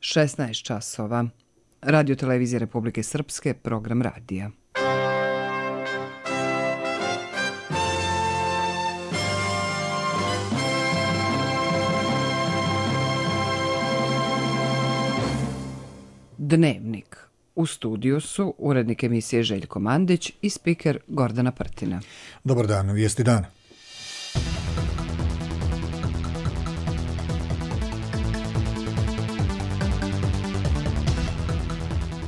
16 časova. Radio Televizije Republike Srpske, program radija. Dnevnik. U studiju su urednik emisije Željko Mandić i spiker Gordana Prtina. Dobar dan, vijesti dana.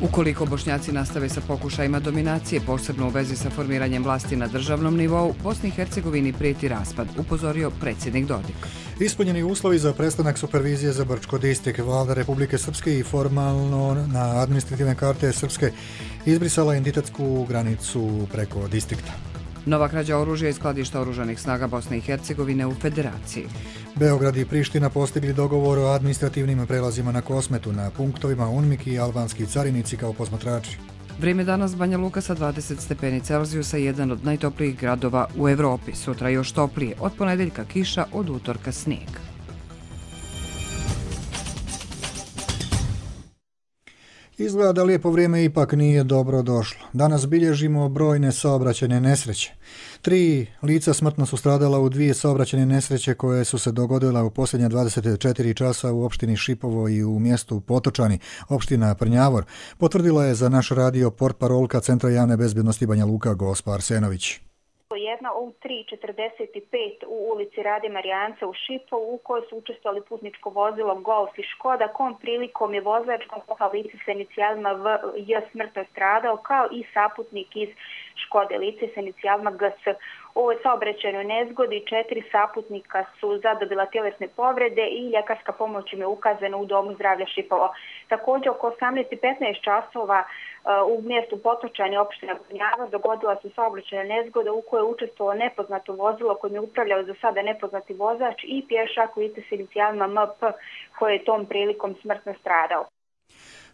Ukoliko Bošnjaci nastave sa pokušajima dominacije, posebno u vezi sa formiranjem vlasti na državnom nivou, Bosni i Hercegovini prijeti raspad, upozorio predsjednik Dodik. Ispunjeni uslovi za prestanak supervizije za Brčko Distrik. Vlada Republike Srpske i formalno na administrativne karte Srpske izbrisala entitetsku granicu preko distrikta. Nova krađa oružja iz skladišta oružanih snaga Bosne i Hercegovine u Federaciji. Beograd i Priština postigli dogovor o administrativnim prelazima na Kosmetu, na punktovima UNMIK i albanski carinici kao posmatrači. Vrijeme danas Banja Luka sa 20 stepeni Celzijusa, jedan od najtoplijih gradova u Evropi. Sutra još toplije, od ponedeljka kiša, od utorka snijeg. Izgleda da lijepo vrijeme ipak nije dobro došlo. Danas bilježimo brojne saobraćajne nesreće. 3 lica smrtno su stradala u 2 saobraćajne nesreće koje su se dogodile u posljednja 24 časa u opštini Šipovo i u mjestu Potočani, opština Prnjavor, potvrdila je za naš radio portparolka Centra javne bezbjednosti Banja Luka Gospa Arsenović. Jedna u 3:45 u ulici Rade Marijanca u Šipovu u kojoj su učestvovali putničko vozilo Golf i Škoda, kom prilikom je vozač lice sa inicijalima VJ smrtno stradao, kao i saputnik iz Škode lice sa inicijalima GS. U ovoj saobraćajnoj nezgodi 4 saputnika su zadobila tjelesne povrede i ljekarska pomoć im je ukazana u Domu zdravlja Šipovo. Također oko 18:15 časova u mjestu Potočani opština Prnjavor dogodila se saobraćajna nezgoda u kojoj je učestvovalo nepoznato vozilo kojim je upravljao za sada nepoznati vozač i pješak lice s inicijalima MP koji je tom prilikom smrtno stradao.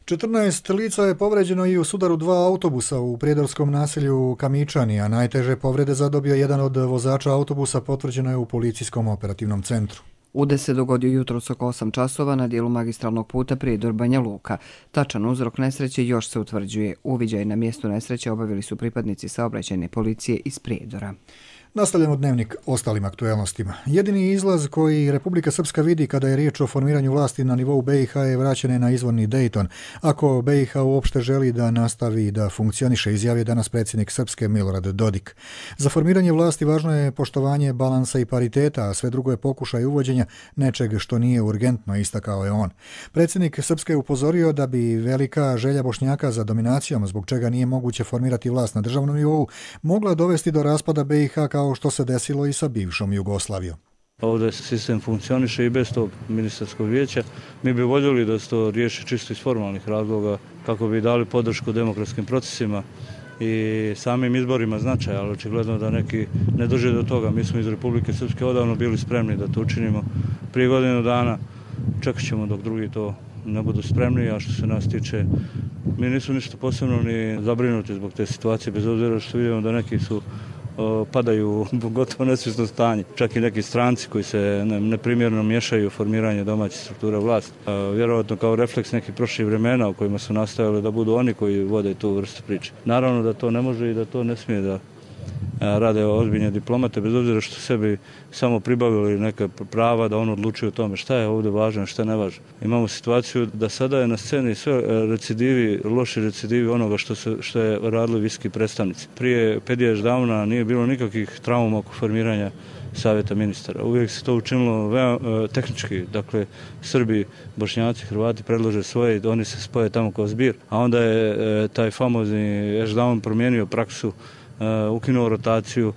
14 lica je povređeno i u sudaru 2 autobusa u prijedorskom naselju Kamičani, a najteže povrede zadobio jedan od vozača autobusa, potvrđeno je u policijskom operativnom centru. Udes se dogodio jutros oko 8 časova na dijelu magistralnog puta Prijedor Banja Luka. Tačan uzrok nesreće još se utvrđuje. Uviđaj na mjestu nesreće obavili su pripadnici saobraćajne policije iz Prijedora. Nastavljamo dnevnik ostalim aktuelnostima. Jedini izlaz koji Republika Srpska vidi kada je riječ o formiranju vlasti na nivou BiH je vraćanje na izvorni Dejton. Ako BiH uopšte želi da nastavi da funkcioniše, izjavio danas predsjednik Srpske Milorad Dodik. Za formiranje vlasti važno je poštovanje balansa i pariteta, a sve drugo je pokušaj uvođenja nečeg što nije urgentno, istakao je on. Predsjednik Srpske je upozorio da bi velika želja Bošnjaka za dominacijom, zbog čega nije moguće formirati vlast na državnom nivou, mogla dovesti do raspada BiH kao što se desilo i sa bivšom Jugoslavijom. Ovdje sistem funkcioniše i bez tog ministarskog vijeća. Mi bi voljeli da se to riješi čisto iz formalnih razloga kako bi dali podršku demokratskim procesima i samim izborima značaja, ali očigledno da neki ne drže do toga. Mi smo iz Republike Srpske odavno bili spremni da to učinimo prije godinu dana. Čekat ćemo dok drugi to ne budu spremni, a što se nas tiče, mi nismo ništa posebno ni zabrinuti zbog te situacije, bez obzira što vidimo da neki su padaju u gotovo nesvjesno stanje. Čak i neki stranci koji se neprimjerno miješaju u formiranje domaćih struktura vlasti. Vjerovatno kao refleks nekih prošlih vremena u kojima su nastavili da budu oni koji vode tu vrstu priče. Naravno da to ne može i da to ne smije da rade ozbiljne diplomate, bez obzira što sebi samo pribavili neka prava da on odlučuje o tome šta je ovdje važno, šta ne važno. Imamo situaciju da sada je na sceni sve recidivi, loši recidivi onoga što je radili viski predstavnici. Prije 5 years davna nije bilo nikakvih trauma oko formiranja savjeta ministara. Uvijek se to učinilo tehnički, dakle Srbi, Bošnjaci, Hrvati predlože svoje, oni se spoje tamo kao zbir, a onda je taj famozni Ešdaun promijenio praksu, ukinuo rotaciju,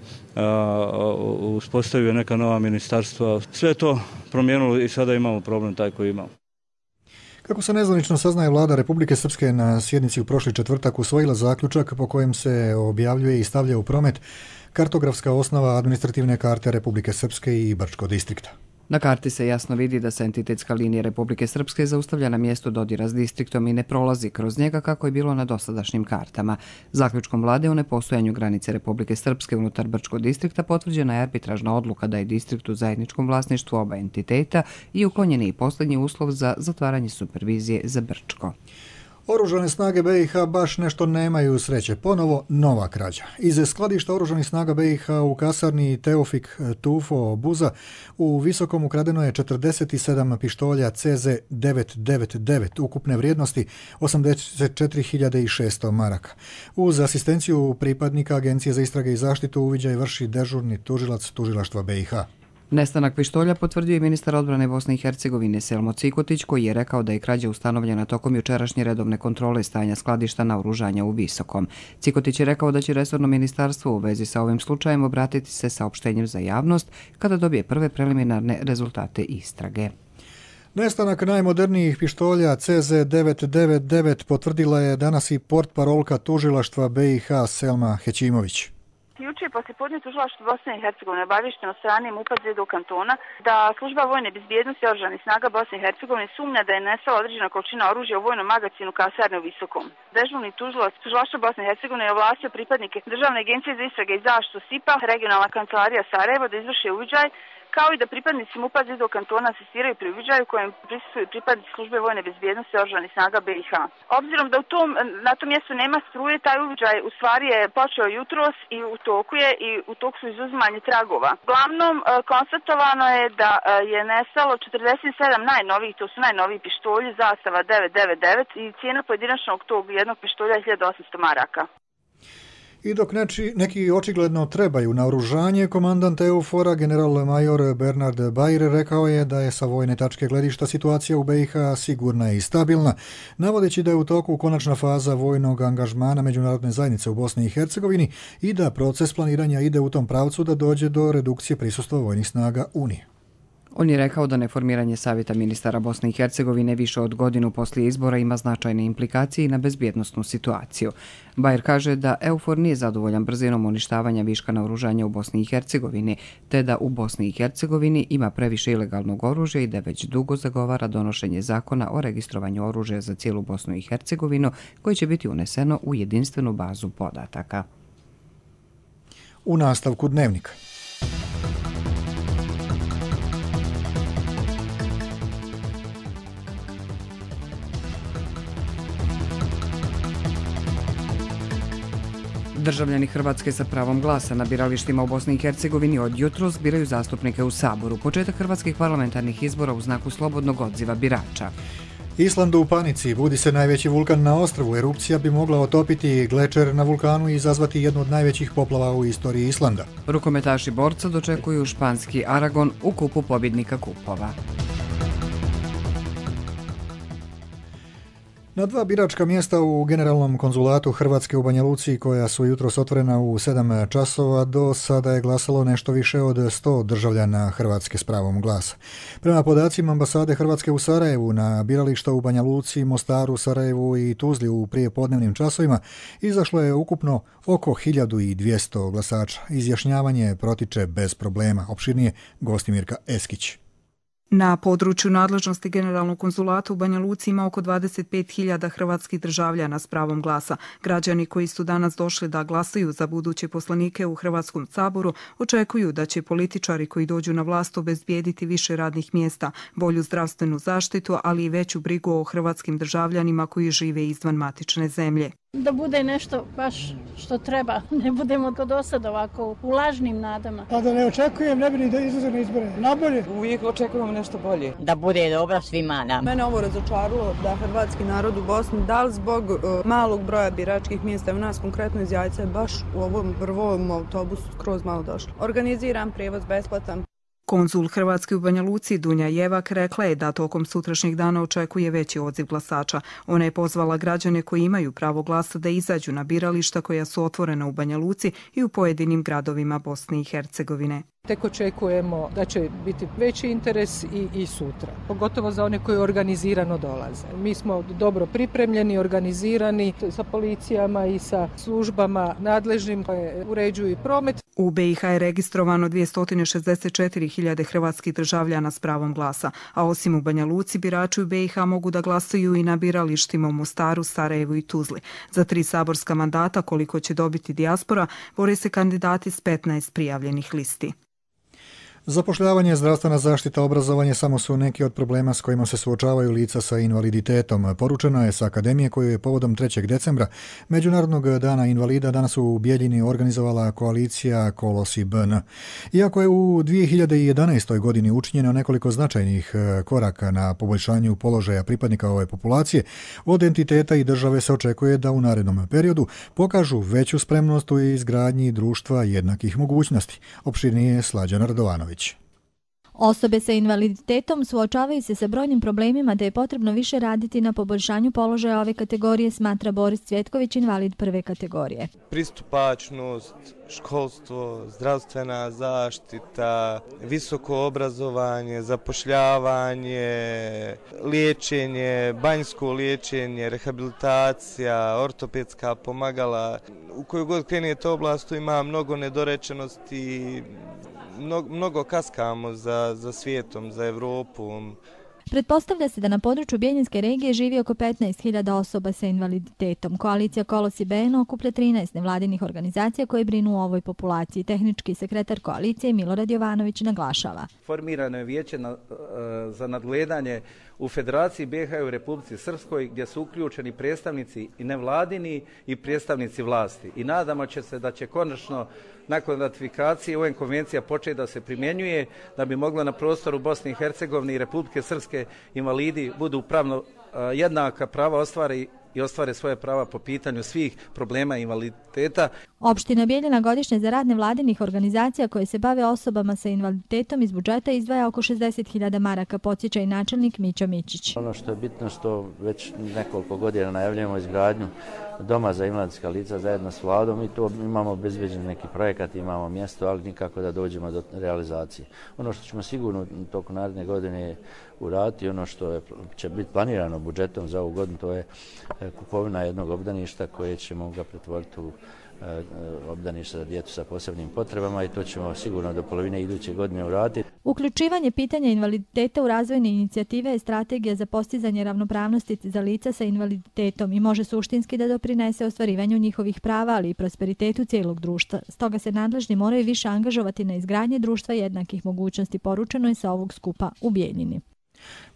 uspostavio neka nova ministarstva. Sve je to promijenilo i sada imamo problem taj koji imamo. Kako se nezvanično saznaje, Vlada Republike Srpske na sjednici u prošli četvrtak usvojila zaključak po kojem se objavljuje i stavlja u promet kartografska osnova administrativne karte Republike Srpske i Brčkog distrikta. Na karti se jasno vidi da se entitetska linija Republike Srpske zaustavlja na mjestu dodira s distriktom i ne prolazi kroz njega kako je bilo na dosadašnjim kartama. Zaključkom vlade o nepostojanju granice Republike Srpske unutar Brčkog distrikta potvrđena je arbitražna odluka da je distrikt u zajedničkom vlasništvu oba entiteta i uklonjen je i posljednji uslov za zatvaranje supervizije za Brčko. Oružane snage BiH baš nešto nemaju sreće. Ponovo nova krađa. Iz skladišta oružanih snaga BiH u kasarni Teofik Tufo Buza u Visokom ukradeno je 47 pištolja CZ999 ukupne vrijednosti 84.600 maraka. Uz asistenciju pripadnika Agencije za istrage i zaštitu uviđaj vrši dežurni tužilac tužilaštva BiH. Nestanak pištolja potvrdio je ministar odbrane Bosne i Hercegovine Selmo Cikotić, koji je rekao da je krađa ustanovljena tokom jučerašnje redovne kontrole stanja skladišta naoružanja u Visokom. Cikotić je rekao da će resorno ministarstvo u vezi sa ovim slučajem obratiti se saopštenjem za javnost kada dobije prve preliminarne rezultate istrage. Nestanak najmodernijih pištolja CZ999 potvrdila je danas i portparolka tužilaštva BiH Selma Hećimović. Juče je poslijepodne tužilaštvo Bosne i Hercegovine obavješteno strane MUP-a Zedu kantona da služba vojne bezbjednosti oružanih snaga Bosne i Hercegovine sumnja da je nestala određena količina oružja u vojnom magazinu kasarne u Visokom. Dežurni tužilac tužilaštva Bosne i Hercegovine je ovlastio pripadnike Državne agencije za istrage i zaštitu SIP-a, regionalna kancelarija Sarajevo da izvrše uviđaj, kao i da pripadnici MUP-a Zedu kantona asistiraju pri uviđaju kojem prisustvuju pripadnici službe vojne bezbjednosti oružanih snaga BiH. Obzirom da na tom mjestu nema struje, taj uviđaj u stvari je počeo jutros i u toku su izuzimanje tragova. Uglavnom, konstatovano je da je nestalo 47 najnovijih, to su najnoviji pištolji zastava 999 i cijena pojedinačnog tog jednog pištolja je 1800 maraka. I dok neki očigledno trebaju naoružanje, komandant EUFOR-a general major Bernard Bair rekao je da je sa vojne tačke gledišta situacija u BiH sigurna i stabilna, navodeći da je u toku konačna faza vojnog angažmana međunarodne zajednice u Bosni i Hercegovini i da proces planiranja ide u tom pravcu da dođe do redukcije prisustva vojnih snaga Unije. On je rekao da neformiranje Savjeta ministara Bosne i Hercegovine više od godinu poslije izbora ima značajne implikacije na bezbjednosnu situaciju. Bajer kaže da EUFOR nije zadovoljan brzinom uništavanja viška naoružanja u Bosni i Hercegovini, te da u Bosni i Hercegovini ima previše ilegalnog oružja i da već dugo zagovara donošenje zakona o registrovanju oružja za cijelu Bosnu i Hercegovinu, koji će biti uneseno u jedinstvenu bazu podataka. U nastavku dnevnika. Državljani Hrvatske sa pravom glasa na biralištima u Bosni i Hercegovini od jutros biraju zastupnike u Saboru. Početak hrvatskih parlamentarnih izbora u znaku slobodnog odziva birača. Island u panici, budi se najveći vulkan na ostrvu. Erupcija bi mogla otopiti glečer na vulkanu i izazvati jednu od najvećih poplava u istoriji Islanda. Rukometaši borca dočekuju španski Aragon u kupu pobjednika kupova. Na 2 biračka mjesta u Generalnom konzulatu Hrvatske u Banja Luci, koja su jutros otvorena u 7 časova, do sada je glasalo nešto više od 100 državljana Hrvatske s pravom glasa. Prema podacima ambasade Hrvatske u Sarajevu, na birališta u Banja Luci, Mostaru, Sarajevu i Tuzli u prijepodnevnim časovima izašlo je ukupno oko 1200 glasača. Izjašnjavanje protiče bez problema. Opširnije Gostimirka Eskić. Na području nadležnosti Generalnog konzulata u Banja Luci ima oko 25.000 hrvatskih državljana s pravom glasa. Građani koji su danas došli da glasaju za buduće poslanike u Hrvatskom saboru očekuju da će političari koji dođu na vlast obezbijediti više radnih mjesta, bolju zdravstvenu zaštitu, ali i veću brigu o hrvatskim državljanima koji žive izvan matične zemlje. Da bude nešto baš što treba, ne budemo kod dosad ovako u lažnim nadama. Pa da ne očekujem, ne bi ni da izlaze na izbore. Nabolje. Uvijek očekujemo nešto bolje. Da bude dobro svima nam. Mene ovo razočaralo da hrvatski narod u Bosni, da li zbog malog broja biračkih mjesta, u nas konkretno iz Jajca, baš u ovom prvom autobusu skroz malo došlo. Organiziran prijevoz besplatan. Konzul Hrvatske u Banja Luci Dunja Jevak rekla je da tokom sutrašnjeg dana očekuje veći odziv glasača. Ona je pozvala građane koji imaju pravo glasa da izađu na birališta koja su otvorena u Banja Luci i u pojedinim gradovima Bosne i Hercegovine. Tek očekujemo da će biti veći interes i sutra, pogotovo za one koji organizirano dolaze. Mi smo dobro pripremljeni, organizirani sa policijama i sa službama nadležnim koje uređuju i promet. U BiH je registrovano 264.000 hrvatskih državljana s pravom glasa, a osim u Banja Luci, birači u BiH mogu da glasaju i na biralištima u Mostaru, Sarajevu i Tuzli. Za 3 saborska mandata, koliko će dobiti dijaspora, bore se kandidati s 15 prijavljenih listi. Zapošljavanje, zdravstvena zaštita, obrazovanje samo su neki od problema s kojima se suočavaju lica sa invaliditetom. Poručeno je sa akademije koju je povodom 3. decembra, Međunarodnog dana invalida, danas u Bijeljini organizovala koalicija Kolosi BN. Iako je u 2011. godini učinjeno nekoliko značajnih koraka na poboljšanju položaja pripadnika ove populacije, od entiteta i države se očekuje da u narednom periodu pokažu veću spremnost u izgradnji društva jednakih mogućnosti. Opširnije Slađana Radovanović. Osobe sa invaliditetom suočavaju se sa brojnim problemima te je potrebno više raditi na poboljšanju položaja ove kategorije, smatra Boris Cvjetković, invalid 1. kategorije. Pristupačnost, školstvo, zdravstvena zaštita, visoko obrazovanje, zapošljavanje, liječenje, banjsko liječenje, rehabilitacija, ortopedska pomagala. U kojoj god krenete oblastu ima mnogo nedorečenosti, mnogo kaskamo za svijetom, za Evropom. Pretpostavlja se da na području Bijeljinske regije živi oko 15.000 osoba sa invaliditetom. Koalicija Kolosi BN okuplja 13 nevladinih organizacija koje brinu o ovoj populaciji. Tehnički sekretar koalicije Milorad Jovanović naglašava. Formirano je vijeće za nadgledanje u Federaciji BiH i u Republici Srpskoj gdje su uključeni predstavnici i nevladini i predstavnici vlasti. I nadamo se da će konačno nakon ratifikacije UN konvencija početi da se primjenjuje da bi moglo na prostoru Bosne i Hercegovine i Republike Srpske invalidi budu pravno jednaka prava ostvare svoje prava po pitanju svih problema invaliditeta. Opština Bijeljina godišnje za rad nevladinih organizacija koje se bave osobama sa invaliditetom iz budžeta izdvaja oko 60.000 maraka, podsjeća i načelnik Mićo Mićić. Ono što je bitno što već nekoliko godina najavljujemo izgradnju doma za invalidska lica zajedno s vladom i to imamo obezbeđen neki projekat, imamo mjesto, ali nikako da dođemo do realizacije. Ono što ćemo sigurno tokom naredne godine uraditi, ono što će biti planirano budžetom za ovu godinu, to je kupovina jednog obdaništa koje ćemo ga pretvoriti u obdaništa za djecu sa posebnim potrebama i to ćemo sigurno do polovine iduće godine uraditi. Uključivanje pitanja invaliditeta u razvojne inicijative je strategija za postizanje ravnopravnosti za lica sa invaliditetom i može suštinski da doprinese ostvarivanju njihovih prava, ali i prosperitetu cijelog društva. Stoga se nadležni moraju više angažovati na izgradnji društva jednakih mogućnosti, poručeno je sa ovog skupa u Bijeljini.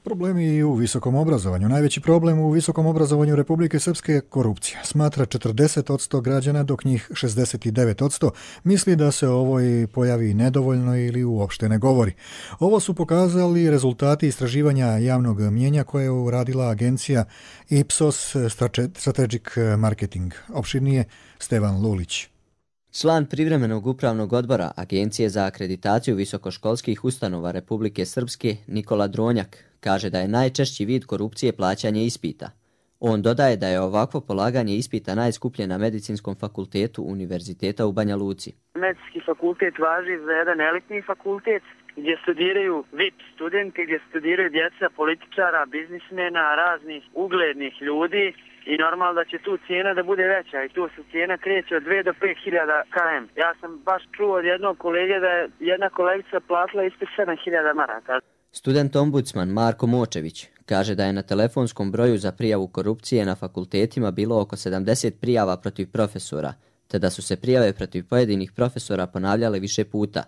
Problemi i u visokom obrazovanju. Najveći problem u visokom obrazovanju Republike Srpske je korupcija. Smatra 40% građana, dok njih 69% misli da se o ovoj pojavi nedovoljno ili uopšte ne govori. Ovo su pokazali rezultati istraživanja javnog mnijenja koje je uradila agencija Ipsos Strategic Marketing. Opširnije Stevan Lulić. Član privremenog upravnog odbora Agencije za akreditaciju visokoškolskih ustanova Republike Srpske Nikola Dronjak kaže da je najčešći vid korupcije plaćanje ispita. On dodaje da je ovakvo polaganje ispita najskuplje na Medicinskom fakultetu Univerziteta u Banja Luci. Medicinski fakultet važi za jedan elitni fakultet gdje studiraju VIP studenti, gdje studiraju djeca političara, biznismena, raznih uglednih ljudi. I normalno da će tu cijena da bude veća i tu se cijena kreće od 2 do 5.000 km. Ja sam baš čuo od jednog kolege da je jedna kolegica platila ispod 7.000 maraka. Student ombudsman Marko Močević kaže da je na telefonskom broju za prijavu korupcije na fakultetima bilo oko 70 prijava protiv profesora, te da su se prijave protiv pojedinih profesora ponavljale više puta.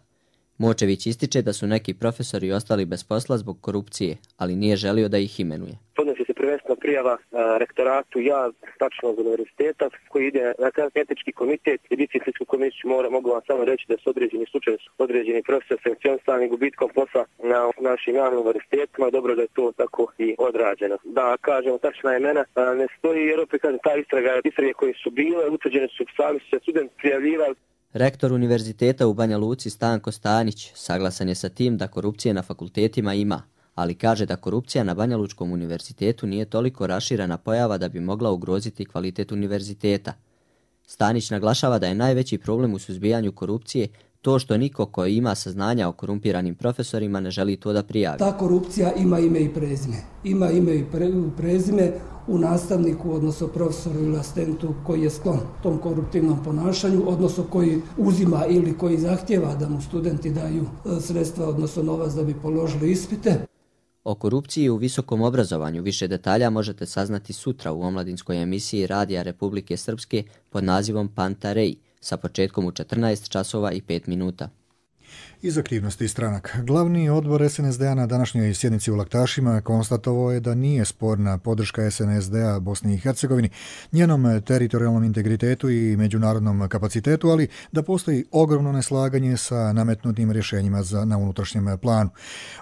Močević ističe da su neki profesori ostali bez posla zbog korupcije, ali nije želio da ih imenuje. Podnosi se prvenstveno prijava rektoratu tačnog univerziteta koji ide na etički komitet i disciplinsku komisiju. Mogu vam samo reći da su određeni slučajevi, određeni profesor sankcionisani gubitkom posla na našim javnim univerzitetima. Dobro da je to tako i odrađeno. Da kažemo tačna imena ne stoji jer opet kažem ta istrage koje su bile utvrđene su, sami su se studenti prijavljivali. Rektor Univerziteta u Banja Luci Stanko Stanić saglasan je sa tim da korupcije na fakultetima ima, ali kaže da korupcija na Banja Lučkom univerzitetu nije toliko raširena pojava da bi mogla ugroziti kvalitet univerziteta. Stanić naglašava da je najveći problem u suzbijanju korupcije to što niko ko ima saznanja o korumpiranim profesorima ne želi to da prijavi. Ta korupcija ima ime i prezime. Ima ime i prezime u nastavniku, odnosno profesoru ili asistentu koji je sklon tom koruptivnom ponašanju, odnosno koji uzima ili koji zahtjeva da mu studenti daju sredstva, odnosno novac da bi položili ispite. O korupciji u visokom obrazovanju više detalja možete saznati sutra u omladinskoj emisiji Radija Republike Srpske pod nazivom Panta Rei, sa početkom u 14 časova i 5 minuta. Iz aktivnosti stranaka. Glavni odbor SNSD-a na današnjoj sjednici u Laktašima konstatovao je da nije sporna podrška SNSD-a Bosni i Hercegovini, njenom teritorijalnom integritetu i međunarodnom kapacitetu, ali da postoji ogromno neslaganje sa nametnutim rješenjima na unutrašnjem planu.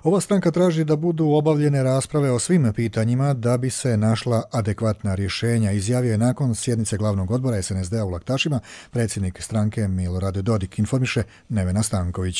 Ova stranka traži da budu obavljene rasprave o svim pitanjima da bi se našla adekvatna rješenja, izjavio je nakon sjednice glavnog odbora SNSD-a u Laktašima predsjednik stranke Milorad Dodik, informiše Nevena Stanković.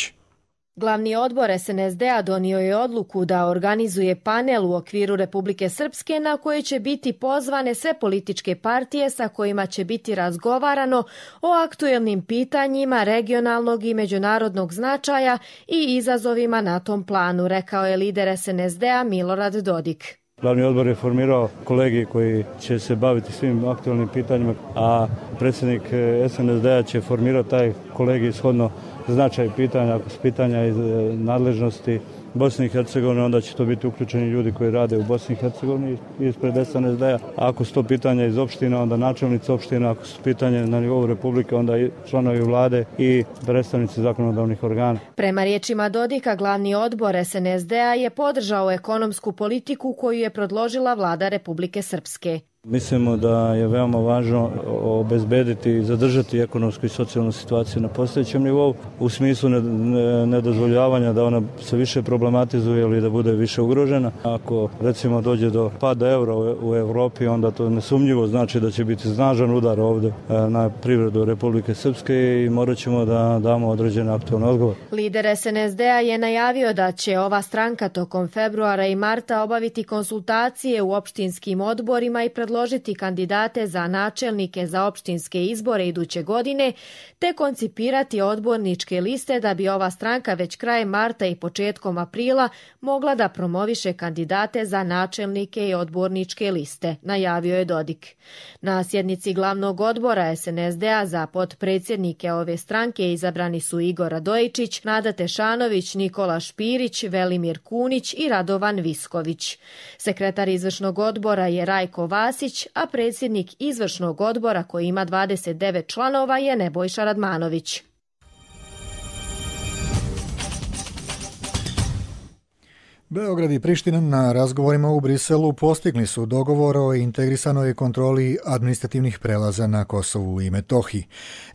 Glavni odbor SNSD-a donio je odluku da organizuje panel u okviru Republike Srpske na koje će biti pozvane sve političke partije sa kojima će biti razgovarano o aktuelnim pitanjima regionalnog i međunarodnog značaja i izazovima na tom planu, rekao je lider SNSD-a Milorad Dodik. Glavni odbor je formirao kolegij koji će se baviti svim aktualnim pitanjima, a predsjednik SNSD-a će formirati taj kolegij shodno značaj pitanja. Ako su pitanja iz nadležnosti Bosne i Hercegovine, onda će to biti uključeni ljudi koji rade u Bosni i Hercegovini ispred SNSD-a. Ako su to pitanja iz opština, onda načelnici opština. Ako su pitanje na nivou Republike, onda i članovi vlade i predstavnici zakonodavnih organa. Prema riječima Dodika, glavni odbor SNSD-a je podržao ekonomsku politiku koju je predložila vlada Republike Srpske. Mislimo da je veoma važno obezbediti i zadržati ekonomsku i socijalnu situaciju na postojećem nivou u smislu nedozvoljavanja da ona se više problematizuje ili da bude više ugrožena. Ako recimo dođe do pada eura u Evropi, onda to nesumnjivo znači da će biti snažan udar ovdje na privredu Republike Srpske i morat ćemo da damo određene aktualne odgovore. Lider SNSD-a je najavio da će ova stranka tokom februara i marta obaviti konsultacije u opštinskim odborima i predložiti kandidate za načelnike za opštinske izbore iduće godine, te koncipirati odborničke liste da bi ova stranka već krajem marta i početkom aprila mogla da promoviše kandidate za načelnike i odborničke liste, najavio je Dodik. Na sjednici glavnog odbora SNSD-a za potpredsjednike ove stranke izabrani su Igor Radojičić, Nada Tešanović, Nikola Špirić, Velimir Kunić i Radovan Visković. Sekretar izvršnog odbora je Rajko Vasić, a predsjednik izvršnog odbora koji ima 29 članova je Nebojša Radmanović. Beograd i Priština na razgovorima u Briselu postigli su dogovor o integrisanoj kontroli administrativnih prelaza na Kosovu i Metohiji.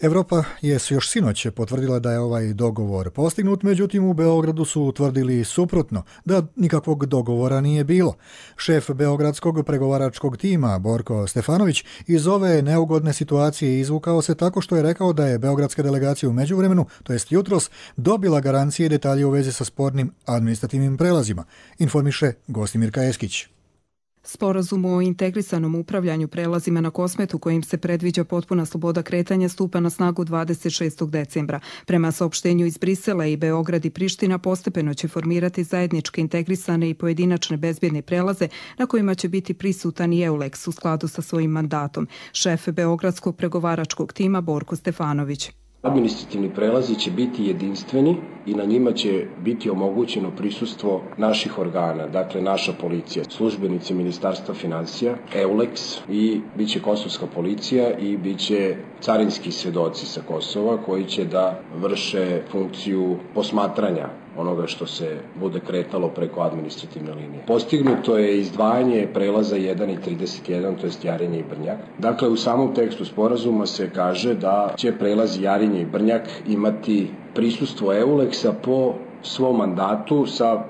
Evropa je još sinoć potvrdila da je ovaj dogovor postignut, međutim u Beogradu su utvrdili suprotno, da nikakvog dogovora nije bilo. Šef beogradskog pregovaračkog tima Borko Stefanović iz ove neugodne situacije izvukao se tako što je rekao da je beogradska delegacija u međuvremenu, to jest jutros, dobila garancije i detalje u vezi sa spornim administrativnim prelazima, informiše Gostimirka Eskić. Sporazum o integrisanom upravljanju prelazima na Kosmetu kojim se predviđa potpuna sloboda kretanja stupa na snagu 26. decembra. Prema saopštenju iz Brisela i Beograd i Priština postepeno će formirati zajedničke integrisane i pojedinačne bezbjedne prelaze na kojima će biti prisutan i EULEX u skladu sa svojim mandatom. Šef beogradskog pregovaračkog tima Borko Stefanović. Administrativni prelazi će biti jedinstveni i na njima će biti omogućeno prisustvo naših organa, dakle naša policija, službenici Ministarstva financija, EULEX i bit će kosovska policija i bit će carinski svjedoci sa Kosova koji će da vrše funkciju posmatranja onoga što se bude kretalo preko administrativne linije. Postignuto je izdvajanje prelaza 1 i 31, to jest Jarinje i Brnjak. Dakle, u samom tekstu sporazuma se kaže da će prelazi Jarinje i Brnjak imati prisustvo EULEX-a po svom mandatu sa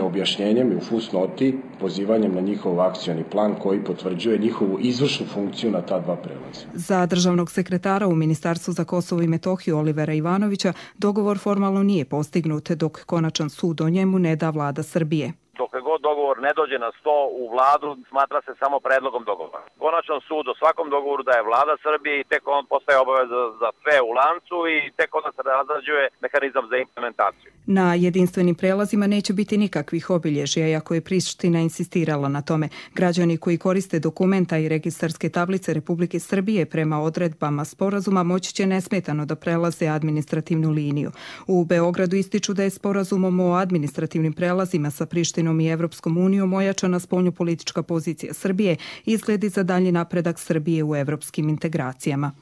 objašnjenjem i u fusnoti pozivanjem na njihov akcioni plan koji potvrđuje njihovu izvršnu funkciju na ta dva prelaza. Za državnog sekretara u Ministarstvu za Kosovo i Metohiju Olivera Ivanovića dogovor formalno nije postignut dok konačan sud o njemu ne da vlada Srbije. Dokle god dogovor ne dođe na sto u vladu, smatra se samo predlogom dogovora. Konačan sud o svakom dogovoru daje vlada Srbije i tek on postaje obaveza za sve u lancu i tek onda se razrađuje mehanizam za implementaciju. Na jedinstvenim prelazima neće biti nikakvih obilježja, iako je Priština insistirala na tome. Građani koji koriste dokumenta i registarske tablice Republike Srbije prema odredbama sporazuma moći će nesmetano da prelaze administrativnu liniju. U Beogradu ističu da je sporazumom o administrativnim prelazima sa Prištinom i Evropskom unijom ojačana spoljnopolitička pozicija Srbije i izgledi za dalji napredak Srbije u evropskim integracijama.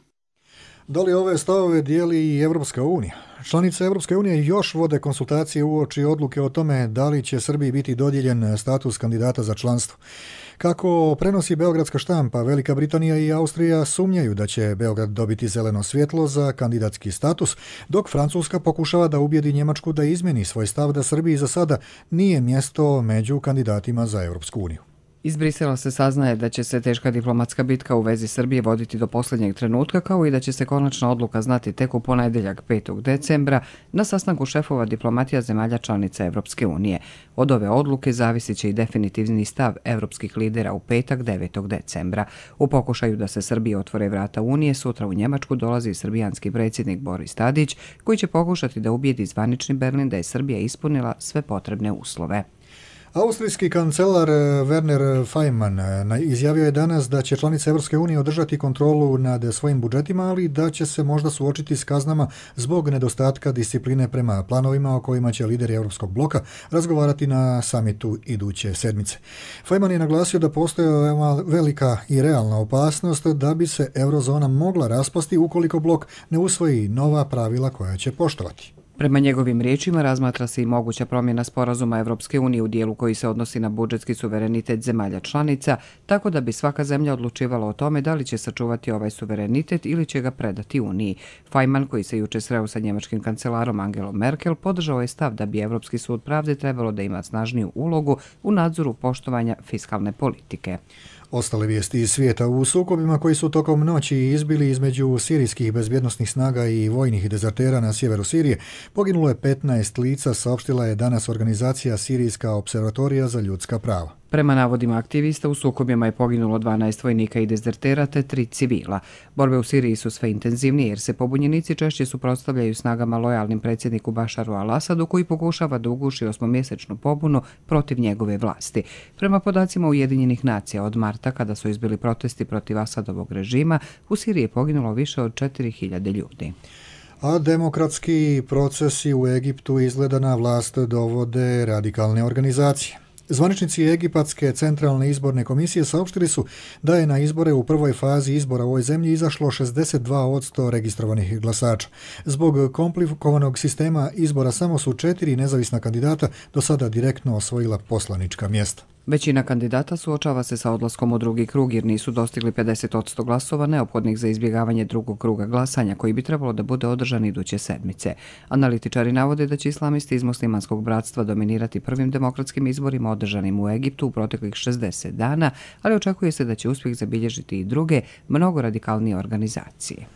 Da li ove stavove dijeli i Evropska unija? Članice Evropske unije još vode konsultacije uoči odluke o tome da li će Srbiji biti dodijeljen status kandidata za članstvo. Kako prenosi beogradska štampa, Velika Britanija i Austrija sumnjaju da će Beograd dobiti zeleno svjetlo za kandidatski status, dok Francuska pokušava da ubijedi Njemačku da izmeni svoj stav da Srbiji za sada nije mjesto među kandidatima za Evropsku uniju. Iz Brisela se saznaje da će se teška diplomatska bitka u vezi Srbije voditi do posljednjeg trenutka, kao i da će se konačna odluka znati tek u ponedjeljak 5. decembra na sastanku šefova diplomatija zemalja članica Evropske unije. Od ove odluke zavisit će i definitivni stav evropskih lidera u petak 9. decembra. U pokušaju da se Srbije otvore vrata Unije, sutra u Njemačku dolazi srbijanski predsjednik Boris Tadić, koji će pokušati da ubijedi zvanični Berlin da je Srbija ispunila sve potrebne uslove. Austrijski kancelar Werner Faymann izjavio je danas da će članice Evropske unije održati kontrolu nad svojim budžetima, ali da će se možda suočiti s kaznama zbog nedostatka discipline prema planovima o kojima će lideri Europskog bloka razgovarati na samitu iduće sedmice. Faymann je naglasio da postoji velika i realna opasnost da bi se eurozona mogla raspasti ukoliko blok ne usvoji nova pravila koja će poštovati. Prema njegovim riječima razmatra se i moguća promjena sporazuma Evropske unije u dijelu koji se odnosi na budžetski suverenitet zemalja članica, tako da bi svaka zemlja odlučivala o tome da li će sačuvati ovaj suverenitet ili će ga predati Uniji. Faymann, koji se juče sreo sa njemačkim kancelarom Angelom Merkel, podržao je stav da bi Evropski sud pravde trebalo da ima snažniju ulogu u nadzoru poštovanja fiskalne politike. Ostale vijesti iz svijeta: u sukobima koji su tokom noći izbili između sirijskih bezbjednosnih snaga i vojnih dezertera na sjeveru Sirije, poginulo je 15 lica, saopštila je danas organizacija Sirijska observatorija za ljudska prava. Prema navodima aktivista, u sukobima je poginulo 12 vojnika i dezertera te 3 civila. Borbe u Siriji su sve intenzivnije jer se pobunjenici češće suprotstavljaju snagama lojalnim predsjedniku Bašaru al-Asadu, koji pokušava da uguši 8-mjesečnu pobunu protiv njegove vlasti. Prema podacima Ujedinjenih nacija, od marta, kada su izbili protesti protiv Asadovog režima, u Siriji je poginulo više od 4000 ljudi. A demokratski procesi u Egiptu izgleda na vlast dovode radikalne organizacije. Zvaničnici Egipatske centralne izborne komisije saopštili su da je na izbore u prvoj fazi izbora u ovoj zemlji izašlo 62% registrovanih glasača. Zbog komplikovanog sistema izbora samo su 4 nezavisna kandidata do sada direktno osvojila poslanička mjesta. Većina kandidata suočava se sa odlaskom u drugi krug jer nisu dostigli 50% glasova neophodnih za izbjegavanje drugog kruga glasanja koji bi trebalo da bude održan iduće sedmice. Analitičari navode da će islamisti iz muslimanskog bratstva dominirati prvim demokratskim izborima održanim u Egiptu u proteklih 60 dana, ali očekuje se da će uspjeh zabilježiti i druge, mnogo radikalnije organizacije.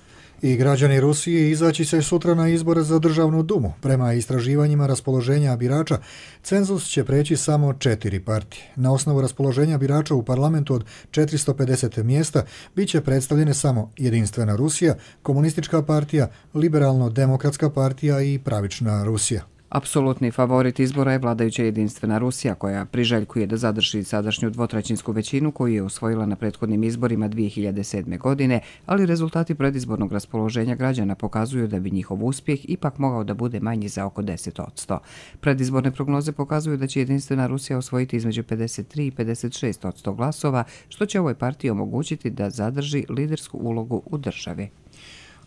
I građani Rusije izaći će sutra na izbore za državnu dumu. Prema istraživanjima raspoloženja birača, cenzus će preći samo 4 partije. Na osnovu raspoloženja birača u parlamentu od 450 mjesta bit će predstavljene samo Jedinstvena Rusija, Komunistička partija, Liberalno-demokratska partija i Pravična Rusija. Apsolutni favorit izbora je vladajuća Jedinstvena Rusija, koja priželjkuje da zadrži sadašnju dvotrećinsku većinu koju je osvojila na prethodnim izborima 2007. godine, ali rezultati predizbornog raspoloženja građana pokazuju da bi njihov uspjeh ipak mogao da bude manji za oko 10%. Predizborne prognoze pokazuju da će Jedinstvena Rusija osvojiti između 53 i 56% glasova, što će ovoj partiji omogućiti da zadrži lidersku ulogu u državi.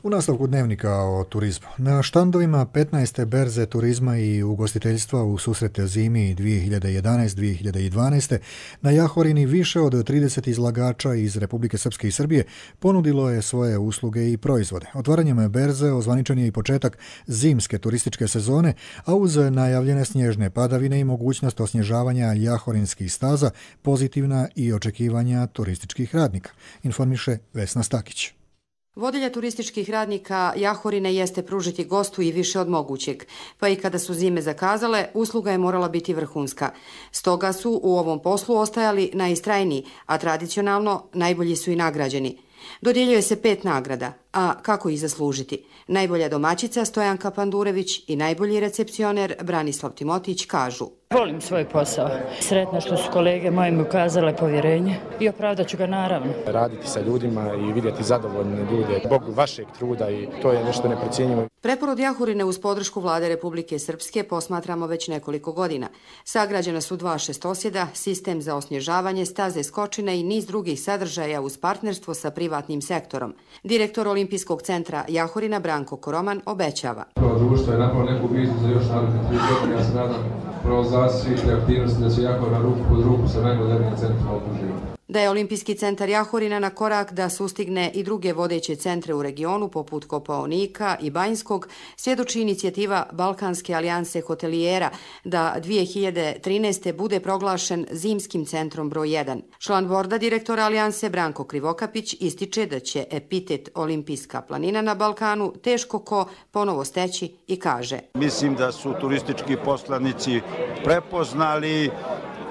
U nastavku dnevnika o turizmu. Na štandovima 15. berze turizma i ugostiteljstva u susrete zimi 2011-2012. na Jahorini više od 30 izlagača iz Republike Srpske i Srbije ponudilo je svoje usluge i proizvode. Otvaranjem berze ozvaničen je i početak zimske turističke sezone, a uz najavljene snježne padavine i mogućnost osnježavanja jahorinskih staza, pozitivna i očekivanja turističkih radnika, informiše Vesna Stakić. Vodilja turističkih radnika Jahorine jeste pružiti gostu i više od mogućeg, pa i kada su zime zakazale, usluga je morala biti vrhunska. Stoga su u ovom poslu ostajali najistrajniji, a tradicionalno najbolji su i nagrađeni. Dodjeljuje se 5 nagrada, a kako ih zaslužiti? Najbolja domaćica Stojanka Pandurević i najbolji recepcioner Branislav Timotić kažu: Volim svoj posao. Sretna što su kolege moje mi ukazale povjerenje i opravdat ću ga naravno. Raditi sa ljudima i vidjeti zadovoljne ljude, Bog vašeg truda i to je nešto neprocjenjivo. Preporod Jahorine uz podršku Vlade Republike Srpske posmatramo već nekoliko godina. Sagrađena su 2 šestosjeda, sistem za osnježavanje, staze skočine i niz drugih sadržaja uz partnerstvo sa privatnim sektorom. Direktor Olimpijskog centra Jahorina Branko Koroman obećava: Društvo je napravilo neku viziju za još naredne 3 godine, ja se nadam realizaciju svih aktivnosti da će Jahorina ruku pod ruku sa najmodernijim centrima okruživanja. Da je Olimpijski centar Jahorina na korak da sustigne i druge vodeće centre u regionu poput Kopaonika i Banjskog, svjedoči inicijativa Balkanske alijanse hotelijera da 2013. bude proglašen zimskim centrom broj 1. Član borda direktora alijanse Branko Krivokapić ističe da će epitet Olimpijska planina na Balkanu teško ko ponovo steći i kaže: Mislim da su turistički poslanici prepoznali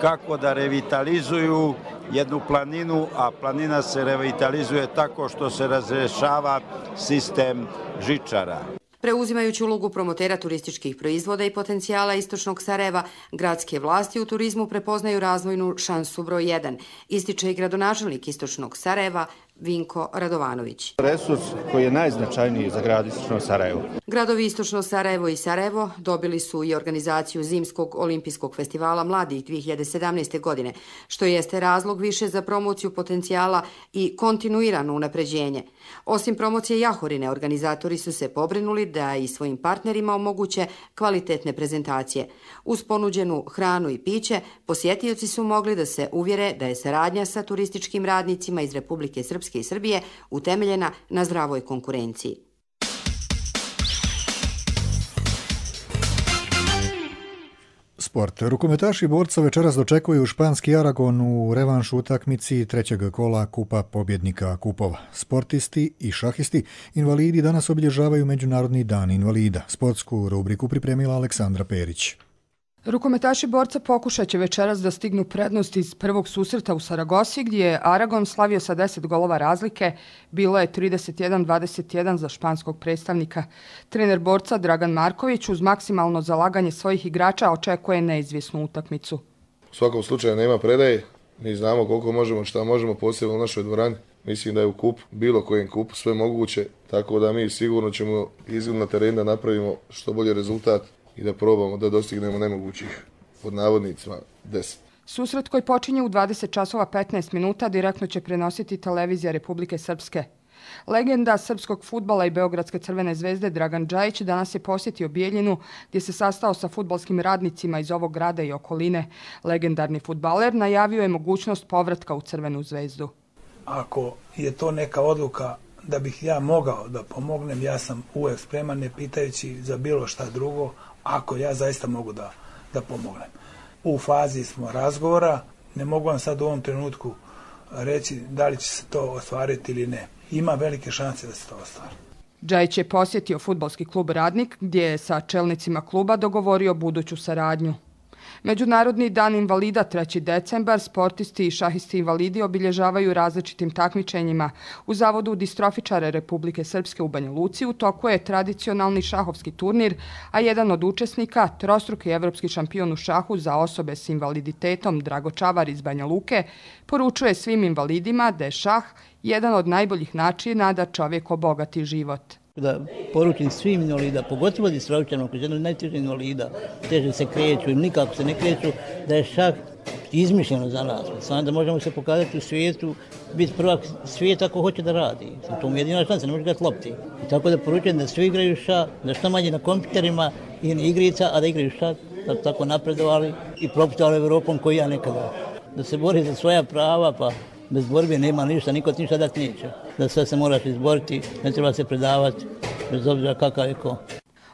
kako da revitalizuju jednu planinu, a planina se revitalizuje tako što se razrešava sistem žičara. Preuzimajući ulogu promotera turističkih proizvoda i potencijala istočnog Sarajeva, gradske vlasti u turizmu prepoznaju razvojnu šansu broj 1, ističe i gradonačelnik istočnog Sarajeva Vinko Radovanović. Resurs koji je najznačajniji za grad istočno Sarajevo. Gradovi istočno Sarajevo i Sarajevo dobili su i organizaciju Zimskog olimpijskog festivala mladih 2017. godine, što jeste razlog više za promociju potencijala i kontinuirano unapređenje. Osim promocije Jahorine, organizatori su se pobrinuli da i svojim partnerima omoguće kvalitetne prezentacije. Uz ponuđenu hranu i piće, posjetioci su mogli da se uvjere da je saradnja sa turističkim radnicima iz Republike Srpske i Srbije utemeljena na zdravoj konkurenciji. Sport. Rukometaši borca večeras dočekuju španski Aragon u revanšu utakmici 3. kola Kupa pobjednika kupova. Sportisti i šahisti invalidi danas obilježavaju Međunarodni dan invalida. Sportsku rubriku pripremila Aleksandra Perić. Rukometaši borca pokušat će večeras da stignu prednost iz prvog susreta u Saragosi, gdje je Aragon slavio sa 10 golova razlike. Bilo je 31-21 za španskog predstavnika. Trener borca Dragan Marković uz maksimalno zalaganje svojih igrača očekuje neizvjesnu utakmicu. U svakom slučaju nema predaje. Mi znamo koliko možemo, šta možemo, posebno u našoj dvorani. Mislim da je u kupu, bilo kojem kupu, sve moguće, tako da mi sigurno ćemo izgled na teren da napravimo što bolji rezultat i da probamo da dostignemo nemogućih, pod navodnicima, 10. Susret koji počinje u 20 časova 15 minuta direktno će prenositi televizija Republike Srpske. Legenda srpskog fudbala i Beogradske Crvene zvezde Dragan Džajić danas je posjetio Bijeljinu, gdje se sastao sa fudbalskim radnicima iz ovog grada i okoline. Legendarni fudbaler najavio je mogućnost povratka u Crvenu zvezdu. Ako je to neka odluka da bih ja mogao da pomognem, ja sam uvijek spreman, ne pitajući za bilo šta drugo, ako ja zaista mogu da pomognem. U fazi smo razgovora, ne mogu vam sad u ovom trenutku reći da li će se to ostvariti ili ne. Ima velike šanse da se to ostvari. Džajić je posjetio fudbalski klub Radnik, gdje je sa čelnicima kluba dogovorio buduću saradnju. Međunarodni dan invalida 3. decembar sportisti i šahisti invalidi obilježavaju različitim takmičenjima. U Zavodu distrofičara Republike Srpske u Banja Luci u toku je tradicionalni šahovski turnir, a jedan od učesnika, trostruki evropski šampion u šahu za osobe s invaliditetom Drago Čavar iz Banja Luke, poručuje svim invalidima da je šah jedan od najboljih načina da čovjek obogati život. Da poručim svim invalida, pogotovo distrofičarima koji su jedno najtežih invalida, teže se kreću ili nikako se ne kreću, da je šah izmišljeno za nas. Samo da možemo se pokazati u svijetu, biti prvak svijeta ako hoće da radi. To mu je jedina šansa, ne može gledati lopti. I tako da poručujem da svi igraju šah, da što manje na kompjuterima i igrica, a da igraju šah, da tako napredovali i proputovali Evropom koji ja nekada. Da se bori za svoja prava, pa bez borbe nema ništa, niko ti ništa dati neće. Da sve se moraš izboriti, ne treba se predavati, bez obzira kakav je ko.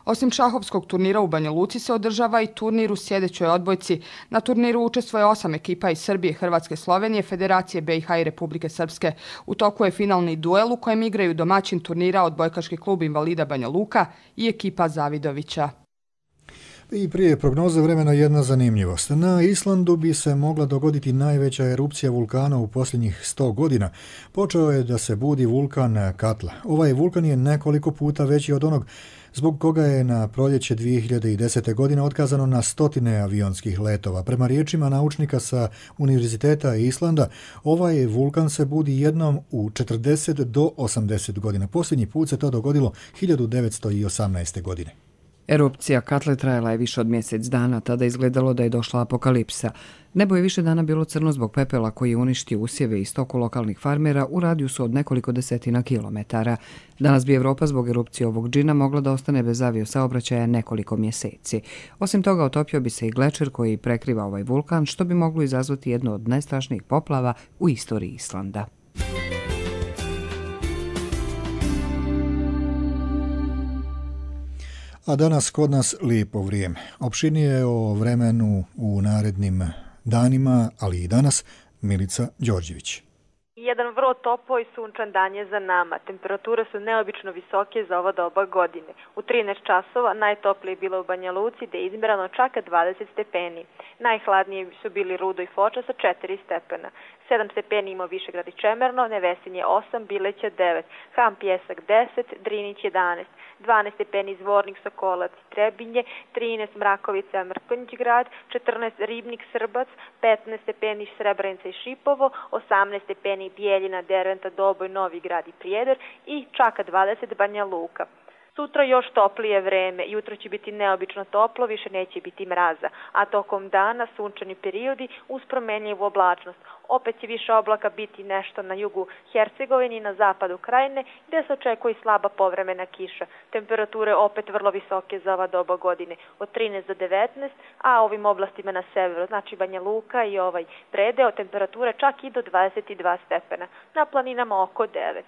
Osim šahovskog turnira u Banja Luci se održava i turnir u sljedećoj odbojci. Na turniru učestvuje 8 ekipa iz Srbije, Hrvatske, Slovenije, Federacije BiH i Republike Srpske. U toku je finalni duel u kojem igraju domaćin turnira Odbojkaški klub Invalida Banja Luka i ekipa Zavidovića. I prije prognoze vremena jedna zanimljivost. Na Islandu bi se mogla dogoditi najveća erupcija vulkana u posljednjih 100 godina. Počeo je da se budi vulkan Katla. Ovaj vulkan je nekoliko puta veći od onog zbog koga je na proljeće 2010. godine otkazano na stotine avionskih letova. Prema riječima naučnika sa Univerziteta Islanda, ovaj vulkan se budi jednom u 40 do 80 godina. Posljednji put se to dogodilo 1918. godine. Erupcija Katle trajala je više od mjesec dana, tada izgledalo da je došla apokalipsa. Nebo je više dana bilo crno zbog pepela koji je uništio usjeve i stoku lokalnih farmera u radijusu od nekoliko desetina kilometara. Danas bi Evropa zbog erupcije ovog džina mogla da ostane bez aviosaobraćaja nekoliko mjeseci. Osim toga, otopio bi se i glečer koji prekriva ovaj vulkan, što bi moglo izazvati jednu od najstrašnijih poplava u istoriji Islanda. A danas kod nas lijepo vrijeme. Opširnije o vremenu u narednim danima, ali i danas, Milica Đorđević. Jedan vrlo toplo i sunčan dan je za nama. Temperature su neobično visoke za ova doba godine. U 13 časova najtoplije je bilo u Banja Luci, gdje je izmjerano čak 20 stepeni. Najhladnije su bili Rudo i Foča sa 4 stepena. 7 stepeni imao Višegrad i Čemerno, Nevesinje 8, Bileća 9, Ham Pjesak 10, Drinić 11, 12 stepeni Zvornik, Sokolac i Trebinje, 13 Mrakovica, Mrkonjić grad, 14 Ribnik, Srbac, 15 stepeni Srebrenica i Šipovo, 18 stepeni Bijeljina, Derventa, Doboj, Novi grad i Prijedor i čak 20 Banja Luka. Sutra još toplije vreme, jutro će biti neobično toplo, više neće biti mraza, a tokom dana sunčani periodi uz promjenjivu oblačnost. Opet će više oblaka biti nešto na jugu Hercegovini i na zapadu krajine, gdje se očekuje i slaba povremena kiša. Temperature opet vrlo visoke za ova doba godine, od 13 do 19, a ovim oblastima na severu, znači Banja Luka i ovaj predeo, temperature čak i do 22 stepena, na planinama oko 9.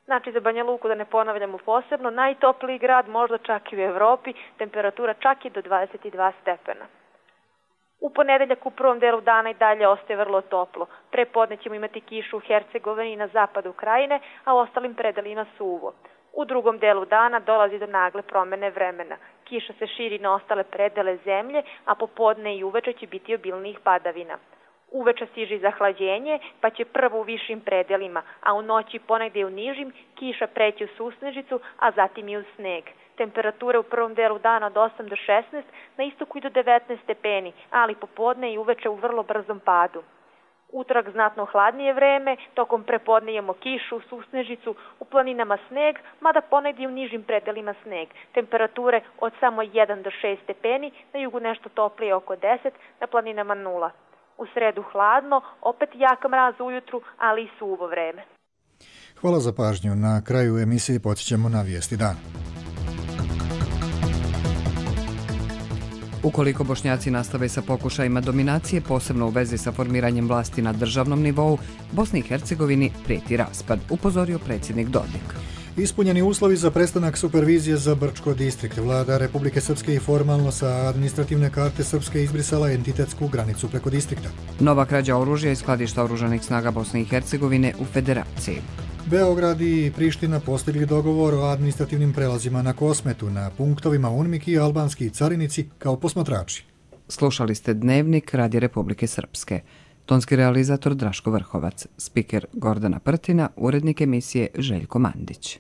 Znači za Banja Luku, da ne ponavljamo posebno, najtopliji grad, možda čak i u Evropi, temperatura čak i do 22 stepena. U ponedeljak u prvom delu dana i dalje ostaje vrlo toplo. Prepodne ćemo imati kišu u Hercegovini i na zapadu krajine, a u ostalim predelima suvo. U drugom delu dana dolazi do nagle promjene vremena. Kiša se širi na ostale predele zemlje, a popodne i uveče će biti obilnijih padavina. Uveče stiže zahlađenje, pa će prvo u višim predelima, a u noći ponegdje u nižim kiša preći u susnežicu, a zatim i u sneg. Temperature u prvom delu dana od 8 do 16, na istoku i do 19 stepeni, ali popodne i uveče u vrlo brzom padu. Utorak znatno hladnije vreme, tokom prepodne imamo kišu, susnežicu, u planinama sneg, mada ponegdje u nižim predelima sneg. Temperature od samo 1 do 6 stepeni, na jugu nešto toplije oko 10, na planinama 0. U sredu hladno, opet jak mraz ujutru, ali i suvo vreme. Hvala za pažnju. Na kraju emisije podsjećamo na vijesti dana. Ukoliko Bošnjaci nastave sa pokušajima dominacije, posebno u vezi sa formiranjem vlasti na državnom nivou, Bosni i Hercegovini prijeti raspad, upozorio predsjednik Dodik. Ispunjeni uslovi za prestanak supervizije za Brčko distrikt. Vlada Republike Srpske i formalno sa administrativne karte Srpske izbrisala entitetsku granicu preko distrikta. Nova krađa oružja iz skladišta oružanih snaga Bosne i Hercegovine u Federaciji. Beograd i Priština postigli dogovor o administrativnim prelazima na Kosmetu, na punktovima UNMIK i albanski carinici kao posmatrači. Slušali ste Dnevnik Radija Republike Srpske. Tonski realizator Draško Vrhovac, spiker Gordana Prtina, urednik emisije Željko Mandić.